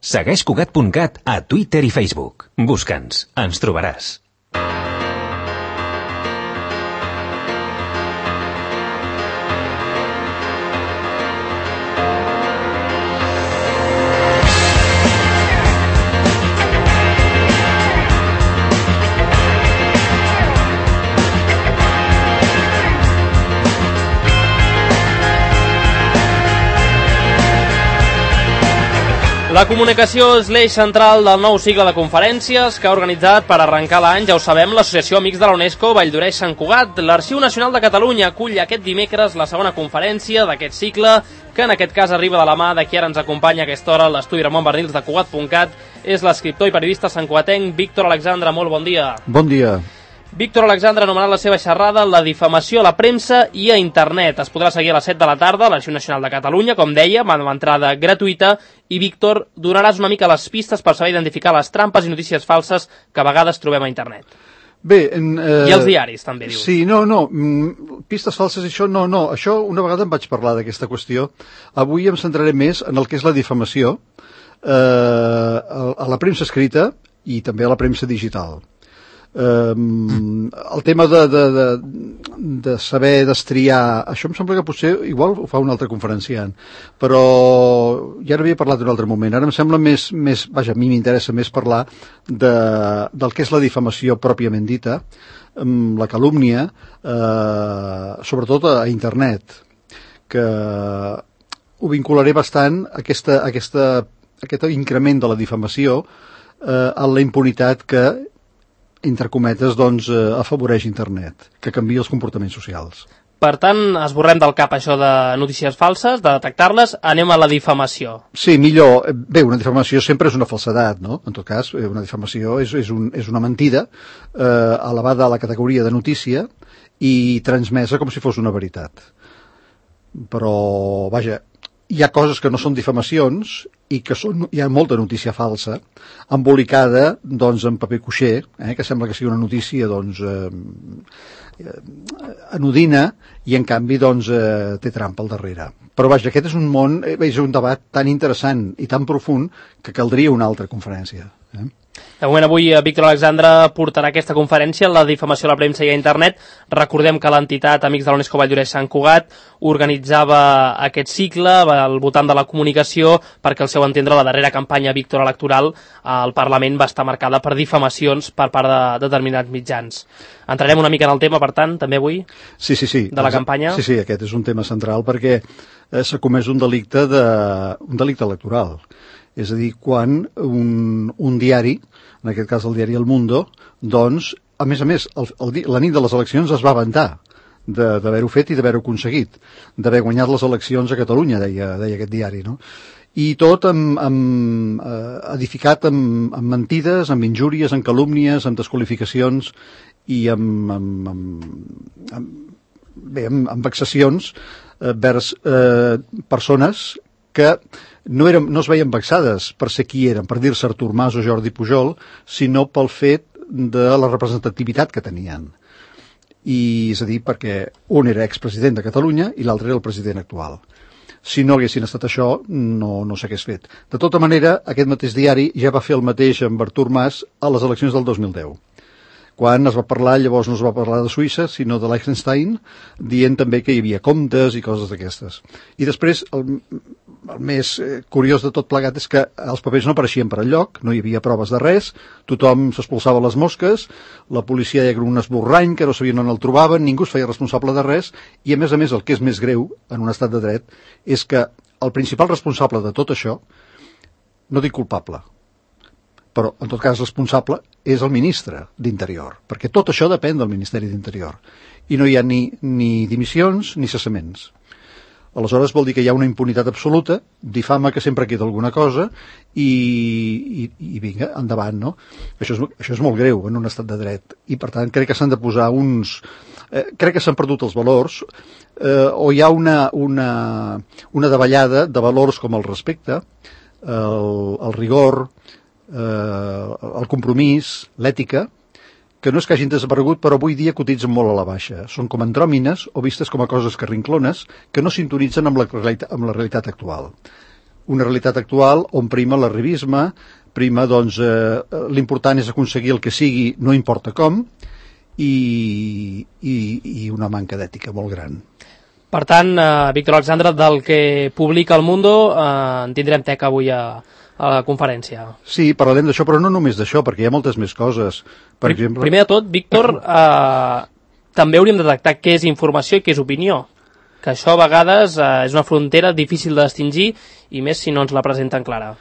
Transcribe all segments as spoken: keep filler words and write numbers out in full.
Segueix Cugat punt cat a Twitter i Facebook. Busca'ns, ens trobaràs. La comunicació és l'eix central del nou cicle de conferències que ha organitzat per arrencar l'any, ja ho sabem, l'Associació Amics de la UNESCO Valldoreix Sant Cugat. L'Arxiu Nacional de Catalunya acull aquest dimecres la segona conferència d'aquest cicle, que en aquest cas arriba de la mà de qui ara ens acompanya a aquesta hora a l'estudi Ramon Bernils de Cugat punt cat. És l'escriptor i periodista santcugatenc Víctor Alexandre. Molt bon dia. Bon dia. Víctor Alexandre ha anomenat la seva xerrada La difamació a la premsa i a internet. Es podrà seguir a les set de la tarda a l'Arxiu Nacional de Catalunya, com deia, amb entrada gratuïta. I, Víctor, donaràs una mica les pistes per saber identificar les trampes i notícies falses que a vegades trobem a internet. Bé, en, eh, I els diaris, també, dius. Sí, no, no, pistes falses, això, no, no, això una vegada em vaig parlar d'aquesta qüestió. Avui em centraré més en el que és la difamació eh, a la premsa escrita i també a la premsa digital. Um, el tema de, de, de, de saber destriar, això em sembla que potser igual ho fa un altre conferenciant, però ja n'havia parlat en un altre moment. Ara em sembla més, més vaja, a mi m'interessa més parlar de, del que és la difamació pròpiament dita, la calúmnia, eh, sobretot a internet, que ho vincularé bastant a aquesta, a aquesta, a aquest increment de la difamació eh, a la impunitat que entre cometes, doncs, eh, afavoreix internet, que canvia els comportaments socials. Per tant, esborrem del cap això de notícies falses, de detectar-les, anem a la difamació. Sí, millor. Bé, una difamació sempre és una falsedat, no? En tot cas, una difamació és, és, un, és una mentida eh, elevada a la categoria de notícia i transmesa com si fos una veritat. Però, vaja, hi ha coses que no són difamacions i que són, hi ha molta notícia falsa embolicada, doncs, en paper cuixer, eh, que sembla que sigui una notícia, doncs, eh, anodina i, en canvi, doncs, eh, té trampa al darrere. Però, vaja, aquest és un món, eh, és un debat tan interessant i tan profund que caldria una altra conferència. Eh? De moment avui Víctor Alexandre portarà aquesta conferència, la difamació a la premsa i a internet. Recordem que l'entitat Amics de la UNESCO Valldoreix Sant Cugat organitzava aquest cicle al voltant de la comunicació perquè, al seu entendre, la darrera campanya Víctor electoral al Parlament va estar marcada per difamacions per part de determinats mitjans. Entrarem una mica en el tema, per tant, també avui, sí, sí, sí. de la campanya. Sí, sí, aquest és un tema central perquè eh, s'ha comès un delicte, de, un delicte electoral. És a dir, quan un, un diari, en aquest cas el diari El Mundo, doncs, a més a més, el, el, la nit de les eleccions es va vantar d'haver-ho fet i d'haver-ho aconseguit, d'haver guanyat les eleccions a Catalunya, deia, deia aquest diari, no? I tot amb, amb, eh, edificat amb, amb mentides, amb injúries, amb calúmnies, amb desqualificacions i amb, amb, amb, amb, bé, amb, amb vexacions eh, vers eh, persones que no, eren, no es veien vexades per ser qui eren, per dir-se Artur Mas o Jordi Pujol, sinó pel fet de la representativitat que tenien. I, és a dir, perquè un era expresident de Catalunya i l'altre era el president actual. Si no haguessin estat això, no, no s'hagués fet. De tota manera, aquest mateix diari ja va fer el mateix amb Artur Mas a les eleccions del dos mil deu. Quan es va parlar, llavors no es va parlar de Suïssa, sinó de Liechtenstein, dient també que hi havia comptes i coses d'aquestes. I després, el, el més curiós de tot plegat és que els papers no apareixien per enlloc, no hi havia proves de res, tothom s'expulsava les mosques, la policia deia que era un esborrany, que no sabien on el trobaven, ningú es feia responsable de res, i a més a més el que és més greu en un estat de dret és que el principal responsable de tot això, no dic culpable, però en tot cas responsable és el ministre d'Interior, perquè tot això depèn del Ministeri d'Interior i no hi ha ni, ni dimissions ni cessaments. Aleshores vol dir que hi ha una impunitat absoluta, difama que sempre queda alguna cosa i, i, i vinga, endavant, no? Això és, això és molt greu en un estat de dret i per tant crec que s'han de posar uns... Eh, crec que s'han perdut els valors eh, o hi ha una, una, una davallada de valors com el respecte, el, el rigor, eh, el compromís, l'ètica, que no és que hagin desaparegut, però avui dia cotitzen molt a la baixa. Són com andròmines o vistes com a coses carrinclones que no sintonitzen amb la, amb la realitat actual. una realitat actual on prima l'arribisme, prima, doncs, eh, l'important és aconseguir el que sigui, no importa com, i, i, i una manca d'ètica molt gran. Per tant, eh, Víctor Alexandre, del que publica El Mundo, eh, en tindrem teca avui a, a la conferència. Sí, parlarem d'això, però no només d'això, perquè hi ha moltes més coses. Per Pr exemple... Primer de tot, Víctor, eh, també hauríem de detectar què és informació i què és opinió, que això a vegades eh, és una frontera difícil de distingir, i més si no ens la presenten clara.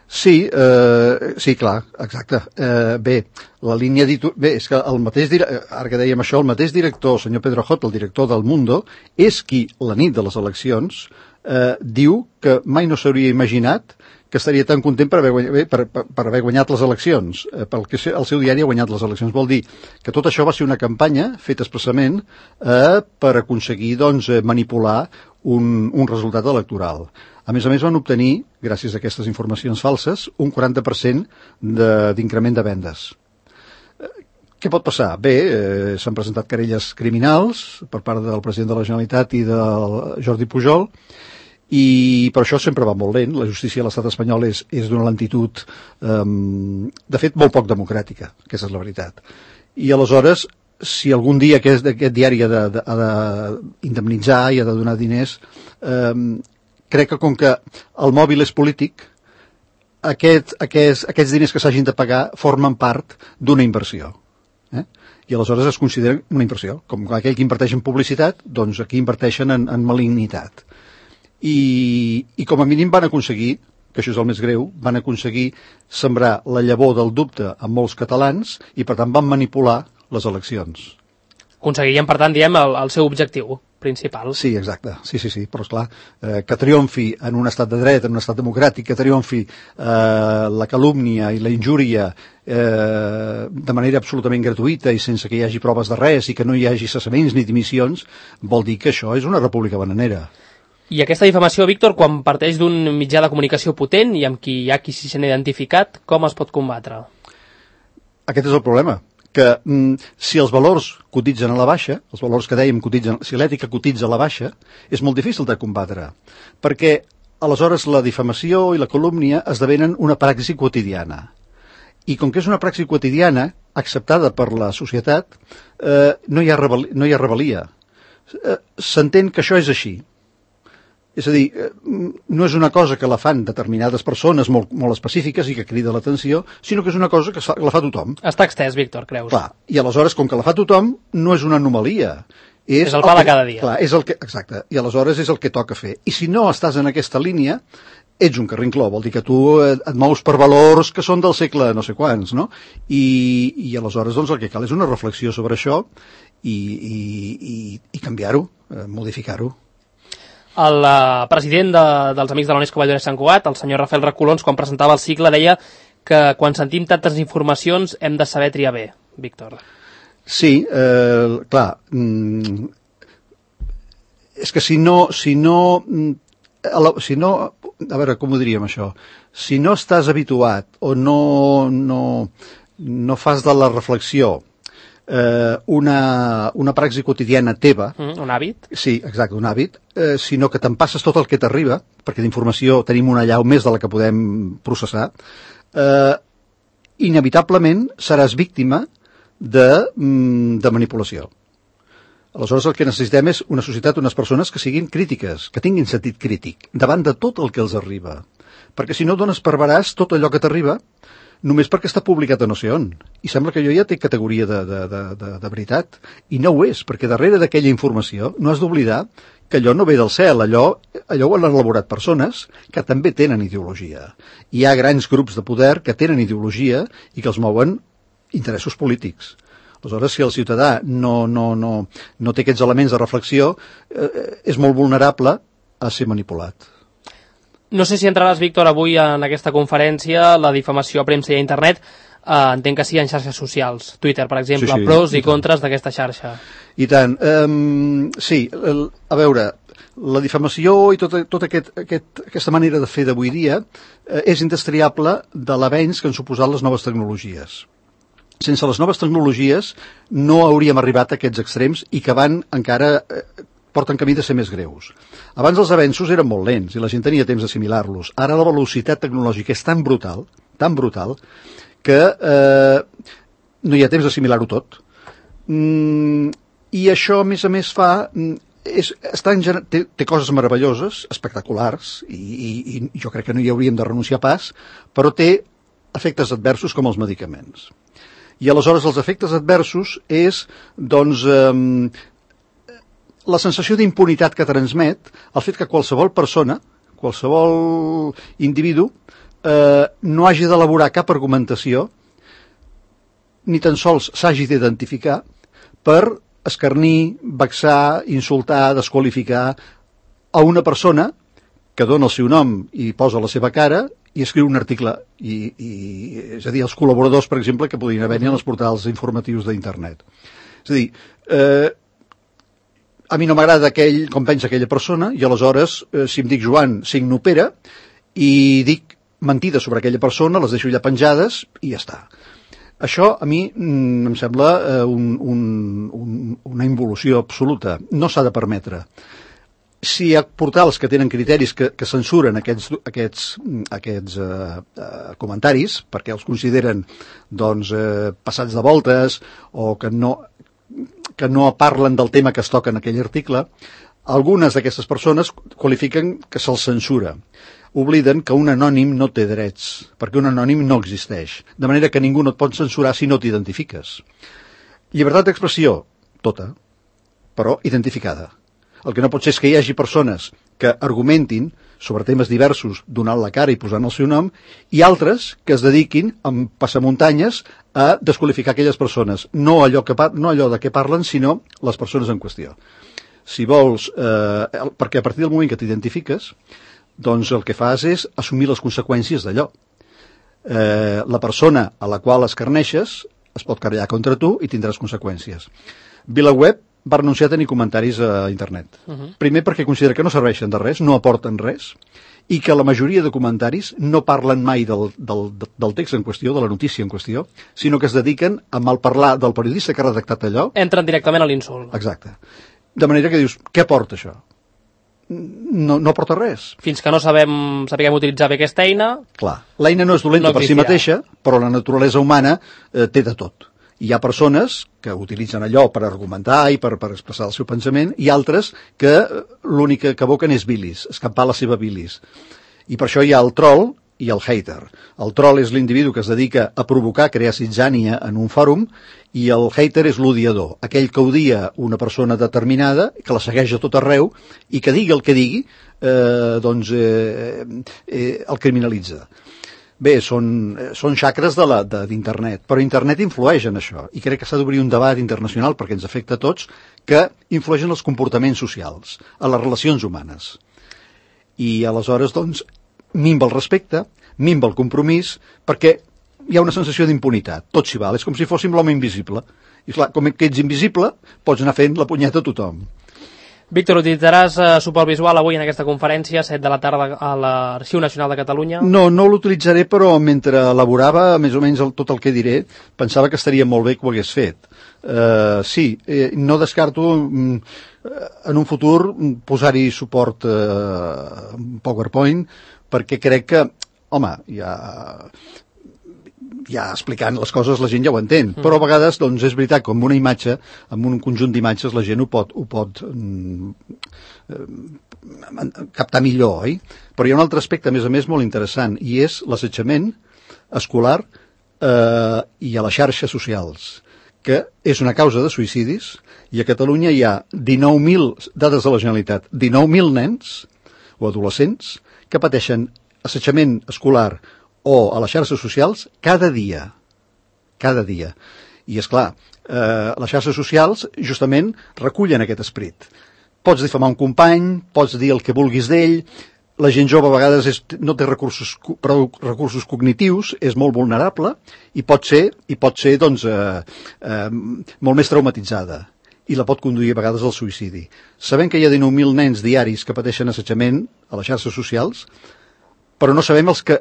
Sí, eh, sí, clar, exacte. Eh, bé, la línia editorial... Bé, és que el mateix, ara que dèiem això, el mateix director, el senyor Pedro Hot, el director del Mundo, és qui, la nit de les eleccions, eh, diu que mai no s'hauria imaginat que estaria tan content per haver guanyat, per, per, per haver guanyat les eleccions, eh, perquè el seu diari ha guanyat les eleccions. Vol dir que tot això va ser una campanya feta expressament eh, per aconseguir, doncs, manipular un, un resultat electoral. A més a més van obtenir, gràcies a aquestes informacions falses, un quaranta per cent d'increment de, de vendes. Eh, què pot passar? Bé, eh, s'han presentat querelles criminals per part del president de la Generalitat i del Jordi Pujol, i per això sempre va molt lent. La justícia de l'estat espanyol és, és d'una lentitud, eh, de fet, molt poc democràtica, aquesta és la veritat. I aleshores, si algun dia aquest, aquest diari ha d'indemnitzar i ha de donar diners, eh, crec que com que el mòbil és polític, aquest, aquest, aquests diners que s'hagin de pagar formen part d'una inversió. Eh? I aleshores es consideren una inversió. Com aquell que inverteix en publicitat, doncs aquí inverteixen en, en malignitat. I, i com a mínim van aconseguir, que això és el més greu, van aconseguir sembrar la llavor del dubte en molts catalans i per tant van manipular les eleccions. Aconseguirien, per tant, diem, el, el seu objectiu principal. Sí, exacte, sí, sí, sí, però esclar, eh, que triomfi en un estat de dret, en un estat democràtic, que triomfi eh, la calúmnia i la injúria eh, de manera absolutament gratuïta i sense que hi hagi proves de res i que no hi hagi cessaments ni dimissions, vol dir que això és una república bananera. I aquesta difamació, Víctor, quan parteix d'un mitjà de comunicació potent i amb qui hi ha qui s'hi sent identificat, com es pot combatre? Aquest és el problema, que mm, si els valors cotitzen a la baixa, els valors que dèiem cotitzen, si l'ètica cotitza a la baixa, és molt difícil de combatre, perquè aleshores la difamació i la calúmnia esdevenen una praxi quotidiana. I com que és una praxi quotidiana, acceptada per la societat, eh, no hi ha rebel·lia. No hi ha rebel·lia. Eh, s'entén que això és així. És a dir, no és una cosa que la fan determinades persones molt, molt específiques i que crida l'atenció, sinó que és una cosa que la fa tothom. Està extès, Víctor, creus? Clar, i aleshores, com que la fa tothom, no és una anomalia. És, és el pa de cada dia. Clar, és el que, exacte, i aleshores és el que toca fer. I si no estàs en aquesta línia, ets un carrincló, vol dir que tu et mous per valors que són del segle no sé quants, no? I, i aleshores doncs, el que cal és una reflexió sobre això i, i, i, i canviar-ho, eh, modificar-ho. El uh, president de, dels Amics de la UNESCO Valldoreix Sant Cugat, el senyor Rafael Recolons, quan presentava el cicle, deia que quan sentim tantes informacions hem de saber triar bé, Víctor. Sí, eh, clar, mm, és que si no, si no, si no, a veure, com ho diríem això, si no estàs habituat o no, no, no fas de la reflexió Eh, una, una praxi quotidiana teva. Mm, un hàbit? Sí, exacte, un hàbit, eh, sinó que te'n passes tot el que t'arriba, perquè d'informació tenim una allau més de la que podem processar, eh, inevitablement seràs víctima de, de manipulació. Aleshores el que necessitem és una societat, unes persones que siguin crítiques, que tinguin sentit crític, davant de tot el que els arriba. Perquè si no dones per veràs tot allò que t'arriba, només perquè està publicat a no sé on. I sembla que allò ja té categoria de, de, de, de, de veritat. I no ho és, perquè darrere d'aquella informació no has d'oblidar que allò no ve del cel, allò, allò ho han elaborat persones que també tenen ideologia. Hi ha grans grups de poder que tenen ideologia i que els mouen interessos polítics. Aleshores, si el ciutadà no, no, no, no té aquests elements de reflexió, eh, és molt vulnerable a ser manipulat. No sé si entraràs, Víctor, avui en aquesta conferència, la difamació a premsa i a internet, eh, entenc que sí en xarxes socials, Twitter, per exemple, sí, sí, pros i, i contres d'aquesta xarxa. I tant. Um, sí, el, a veure, la difamació i tota, tota aquest, aquest, aquesta manera de fer d'avui dia eh, és indestriable de l'avenç que han suposat les noves tecnologies. Sense les noves tecnologies no hauríem arribat a aquests extrems i que van encara... Eh, porten camí de ser més greus. Abans els avenços eren molt lents i la gent tenia temps d'assimilar-los. Ara la velocitat tecnològica és tan brutal, tan brutal, que eh, no hi ha temps d'assimilar-ho tot. Mm, I això, a més a més, fa... És, està en, té, té coses meravelloses, espectaculars, i, i, i jo crec que no hi hauríem de renunciar pas, però té efectes adversos com els medicaments. I aleshores els efectes adversos és, doncs, eh, la sensació d'impunitat que transmet el fet que qualsevol persona, qualsevol individu, eh, no hagi d'elaborar cap argumentació, ni tan sols s'hagi d'identificar per escarnir, vexar, insultar, desqualificar a una persona que dona el seu nom i posa la seva cara i escriu un article. I, i, és a dir, els col·laboradors, per exemple, que podrien haver-hi en els portals informatius d'internet. És a dir, eh, a mi no m'agrada aquell, com pensa aquella persona, i aleshores, eh, si em dic Joan, signo Pere, i dic mentides sobre aquella persona, les deixo allà penjades, i ja està. Això a mi mm, em sembla eh, un, un, un, una involució absoluta. No s'ha de permetre. Si hi ha portals que tenen criteris que, que censuren aquests, aquests, aquests eh, eh, comentaris, perquè els consideren doncs, eh, passats de voltes o que no, que no parlen del tema que es toca en aquell article, algunes d'aquestes persones qualifiquen que se'ls censura. Obliden que un anònim no té drets, perquè un anònim no existeix, de manera que ningú no et pot censurar si no t'identifiques. Llibertat d'expressió, tota, però identificada. El que no pot ser és que hi hagi persones que argumentin sobre temes diversos donant la cara i posant el seu nom, i altres que es dediquin amb passamuntanyes a desqualificar aquelles persones, no allò, que par no allò de què parlen, sinó les persones en qüestió. Si vols, eh, perquè a partir del moment que t'identifiques, doncs el que fas és assumir les conseqüències d'allò. Eh, la persona a la qual escarneixes es pot querellar contra tu i tindràs conseqüències. VilaWeb va renunciar a tenir comentaris a internet. Uh -huh. Primer perquè considera que no serveixen de res, no aporten res, i que la majoria de comentaris no parlen mai del, del, del text en qüestió, de la notícia en qüestió, sinó que es dediquen a malparlar del periodista que ha redactat allò. Entren directament a l'insult. Exacte. De manera que dius, què aporta això? No, no aporta res. Fins que no sabem, sapiguem utilitzar bé aquesta eina... Clar, l'eina no és dolenta no per si mateixa, però la naturalesa humana eh, té de tot. Hi ha persones que utilitzen allò per argumentar i per, per expressar el seu pensament, i altres que l'únic que evoquen és bilis, escampar la seva bilis. I per això hi ha el troll i el hater. El troll és l'individu que es dedica a provocar, crear zitzània en un fòrum, i el hater és l'odiador, aquell que odia una persona determinada, que la segueix a tot arreu, i que digui el que digui, eh, doncs eh, eh, el criminalitza. Bé, són, són xacres d'internet, però internet influeix en això, i crec que s'ha d'obrir un debat internacional, perquè ens afecta a tots, que influeix en els comportaments socials, a les relacions humanes. I aleshores, doncs, minva el respecte, minva el compromís, perquè hi ha una sensació d'impunitat, tot s'hi val, és com si fóssim l'home invisible. I clar, com que ets invisible, pots anar fent la punyeta a tothom. Víctor, utilitzaràs eh, suport visual avui en aquesta conferència, set de la tarda a l'Arxiu Nacional de Catalunya? No, no l'utilitzaré, però mentre elaborava més o menys el, tot el que diré, pensava que estaria molt bé que ho hagués fet. Uh, sí, eh, no descarto mm, en un futur posar-hi suport eh, PowerPoint, perquè crec que, home, ja... ja explicant les coses la gent ja ho entén, mm. però a vegades doncs, és veritat que amb una imatge, amb un conjunt d'imatges la gent ho pot, ho pot mm, eh, captar millor, oi? Però hi ha un altre aspecte, a més a més, molt interessant, i és l'assetjament escolar eh, i a les xarxes socials, que és una causa de suïcidis, i a Catalunya hi ha dinou mil, dades de la Generalitat, dinou mil nens o adolescents que pateixen assetjament escolar o a les xarxes socials cada dia. Cada dia. I, és clar, eh, les xarxes socials justament recullen aquest esperit. Pots difamar un company, pots dir el que vulguis d'ell, la gent jove a vegades és, no té recursos, prou recursos cognitius, és molt vulnerable i pot ser, i pot ser doncs, eh, eh, molt més traumatitzada i la pot conduir a vegades al suïcidi. Sabem que hi ha dinou mil nens diaris que pateixen assetjament a les xarxes socials, però no sabem els que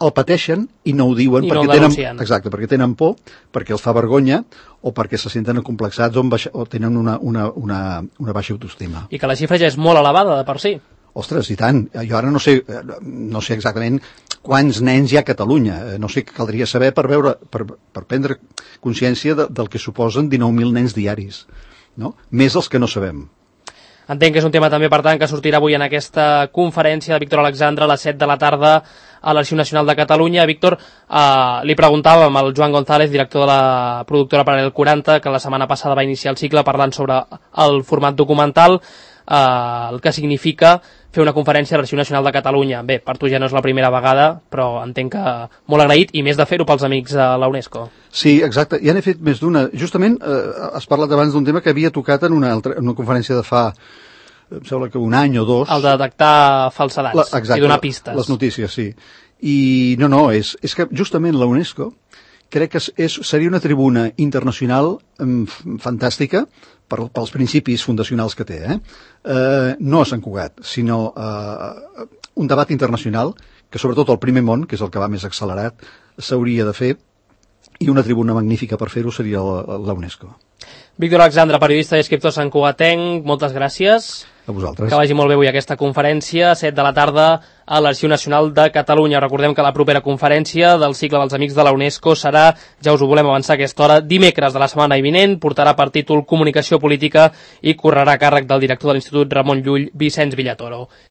el pateixen i no ho diuen I perquè, no tenen, denuncien. exacte, perquè tenen por, perquè els fa vergonya o perquè se senten acomplexats o, baixa, o tenen una, una, una, una baixa autoestima. I que la xifra ja és molt elevada de per si. Ostres, i tant. Jo ara no sé, no sé exactament quants nens hi ha a Catalunya. No sé què caldria saber per veure, per, per prendre consciència de, del que suposen dinou mil nens diaris, no? Més els que no sabem. Entenc que és un tema també, per tant, que sortirà avui en aquesta conferència de Víctor Alexandre a les set de la tarda a l'Arxiu Nacional de Catalunya. Víctor, eh, li preguntàvem al Joan González, director de la productora Paral·lel quaranta, que la setmana passada va iniciar el cicle parlant sobre el format documental, eh, el que significa fer una conferència a l'Arxiu Nacional de Catalunya. Bé, per tu ja no és la primera vegada, però entenc que molt agraït, i més de fer-ho pels amics de la UNESCO. Sí, exacte. Ja n'he fet més d'una. Justament eh, has parlat abans d'un tema que havia tocat en una, altra, en una conferència de fa, em sembla que un any o dos. El de detectar falsedats la, exacte, i donar pistes. Les notícies, sí. I no, no, és, és que justament la UNESCO crec que és, és, seria una tribuna internacional um, fantàstica per, pels principis fundacionals que té. Eh? Uh, no a Sant Cugat, sinó uh, un debat internacional que sobretot el primer món, que és el que va més accelerat, s'hauria de fer, i una tribuna magnífica per fer-ho seria la, la UNESCO. Víctor Alexandre, periodista i escriptor santcugatenc, moltes gràcies. A vosaltres. Que vagi molt bé avui aquesta conferència, set de la tarda a l'Arxiu Nacional de Catalunya. Recordem que la propera conferència del cicle dels Amics de la UNESCO serà, ja us ho volem avançar a aquesta hora, dimecres de la setmana vinent, portarà per títol Comunicació Política i correrà a càrrec del director de l'Institut Ramon Llull, Vicenç Villatoro.